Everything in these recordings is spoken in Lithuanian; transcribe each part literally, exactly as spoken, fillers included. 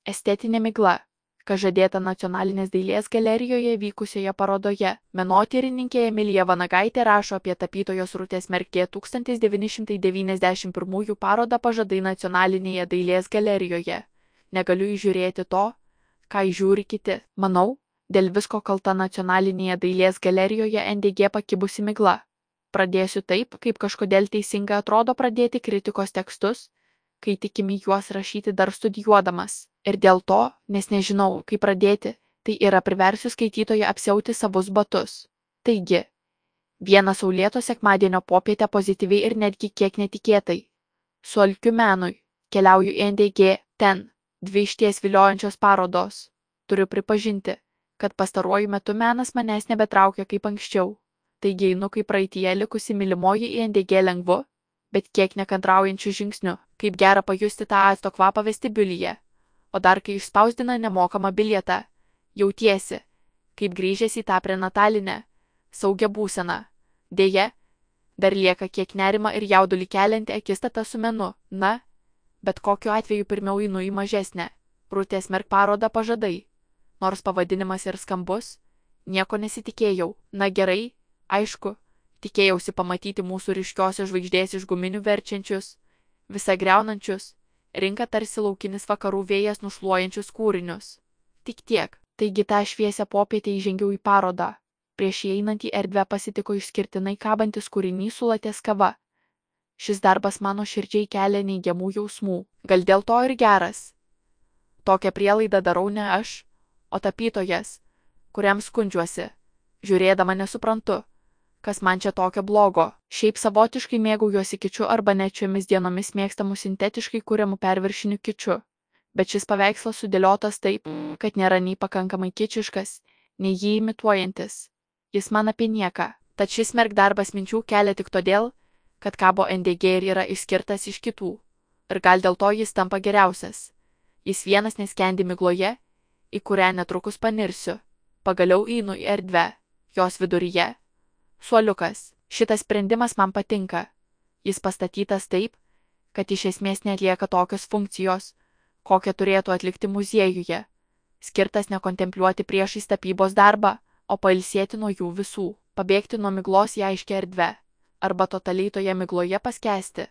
Estetinė migla, kas žadėta Nacionalinės dailės galerijoje vykusioje parodoje. Menotyrininkė Emilija Vanagaitė rašo apie tapytojos Rūtės Merkė tūkstantis devyni šimtai devyniasdešimt pirmųjų parodą Pažadai Nacionalinėje dailės galerijoje. Negaliu įžiūrėti to, ką įžiūri kiti. Manau, dėl visko kalta Nacionalinėje dailės galerijoje N D G pakibusi migla. Pradėsiu taip, kaip kažkodėl teisinga atrodo pradėti kritikos tekstus, kai tikimi juos rašyti dar studijuodamas. Ir dėl to, nes nežinau, kaip pradėti, tai yra priversiu skaitytoją apsiauti savus batus. Taigi, vieną saulėto sekmadienio popietę pozityviai ir netgi kiek netikėtai. Su alkiu menui, keliauju į N D G, ten, dvi išties viliojančios parodos. Turiu pripažinti, kad pastaruoju metu menas manęs nebetraukia kaip anksčiau. Taigi einu kaip praeityje likusi mylimoji į N D G lengvu, bet kiek nekantraujančių žingsnių, kaip gera pajusti tą acto kvapą vestibiulyje. O dar kai išspausdina nemokamą bilietą, jautiesi, kaip grįžęs į tą prenatalinę, saugią būseną. Deja, dar lieka kiek nerima ir jaudulį kelianti akistata su menu. Na, bet kokiu atveju pirmiau einu į mažesnę, Rūtės Merk parodą Pažadai. Nors pavadinimas ir skambus, nieko nesitikėjau. Na gerai, aišku, tikėjausi pamatyti mūsų ryškiosios žvaigždės iš guminių verčiančius, visą greunančius, rinka tarsi laukinis vakarų vėjas nušluojančius kūrinius. Tik tiek. Taigi tą šviesią popietę įžengiau į parodą. Prieš įeinant į erdvę pasitiko išskirtinai kabantis kūrinys su latės kava. Šis darbas mano širdžiai kelia neigiamų jausmų. Gal dėl to ir geras. Tokią prielaidą darau ne aš, o tapytojas, kuriam skundžiuosi. Žiūrėdama nesuprantu, kas man čia tokio blogo. Šiaip savotiškai mėgaujuosi kičiu arba net šiomis dienomis mėgstamų sintetiškai kuriamų perviršinių kičiu. Bet šis paveikslas sudėliotas taip, kad nėra nei pakankamai kičiškas, nei jį imituojantis. Jis man apie nieką. Tad šis Merk darbas minčių kelia tik todėl, kad kabo N D G ir yra išskirtas iš kitų. Ir gal dėl to jis tampa geriausias. Jis vienas neskendi migloje, į kurią netrukus panirsiu. Pagaliau einu į erdvę. Jos viduryje suoliukas. Šitas sprendimas man patinka. Jis pastatytas taip, kad iš esmės neatlieka tokios funkcijos, kokią turėtų atlikti muziejuje. Skirtas nekontempliuoti priešais tapybos darbą, o pailsėti nuo jų visų, pabėgti nuo miglos į aiškę erdvę, arba totaliai toje migloje paskęsti.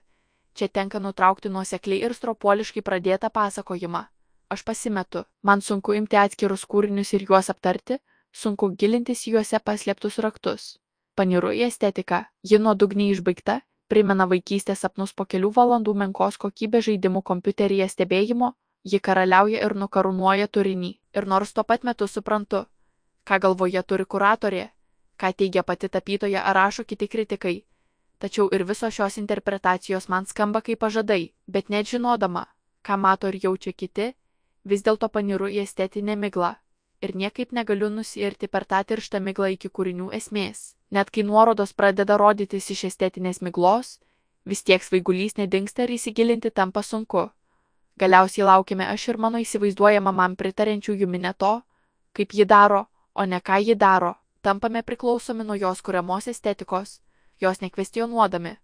Čia tenka nutraukti nuosekliai ir stropuoliškai pradėtą pasakojimą. Aš pasimetu, man sunku imti atskirus kūrinius ir juos aptarti, sunku gilintis į juose paslėptus raktus. Paniru į estetiką, ji nuodugniai išbaigta, primena vaikystės sapnus po kelių valandų menkos kokybės žaidimų kompiuteryje stebėjimo, ji karaliauja ir nukarūnuoja turinį. Ir nors tuo pat metu suprantu, ką galvoje turi kuratorė, ką teigia pati tapytoja ar rašo kiti kritikai, tačiau ir visos šios interpretacijos man skamba kaip pažadai, bet net žinodama, ką mato ir jaučia kiti, vis dėlto paniru į estetinę miglą. Ir niekaip negaliu nusiirti per tą tirštą miglą iki kūrinių esmės. Net kai nuorodos pradeda rodytis iš estetinės miglos, vis tiek svaigulys nedingsta ir įsigilinti tampa sunku. Galiausiai laukime aš ir mano įsivaizduojama man pritarenčiųjų minė to, kaip ji daro, o ne ką ji daro. Tampame priklausomi nuo jos kuriamos estetikos, jos nekvestionuodami.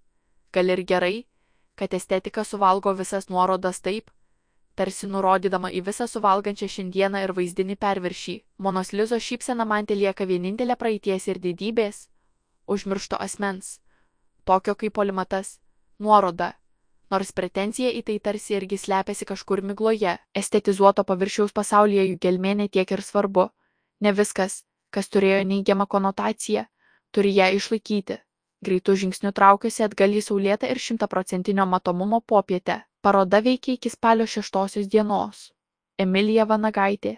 Gal ir gerai, kad estetika suvalgo visas nuorodas taip, tarsi nurodydama į visą suvalgančią šiandieną ir vaizdinį perviršį. Monos Lizos šypsena man telieka vienintelė praeities ir didybės, užmiršto asmens, tokio kaip polimatas, nuoroda, nors pretenzija į tai tarsi irgi slepiasi kažkur migloje. Estetizuoto paviršiaus pasaulyje jų gelmė ne tiek ir svarbu. Ne viskas, kas turėjo neigiamą konotaciją, turi ją išlaikyti. Greitų žingsnių traukiuosi atgal į saulėtą ir šimtaprocentinio matomumo popietę. Paroda veikia iki spalio šeštosios dienos. Emilija Vanagaitė.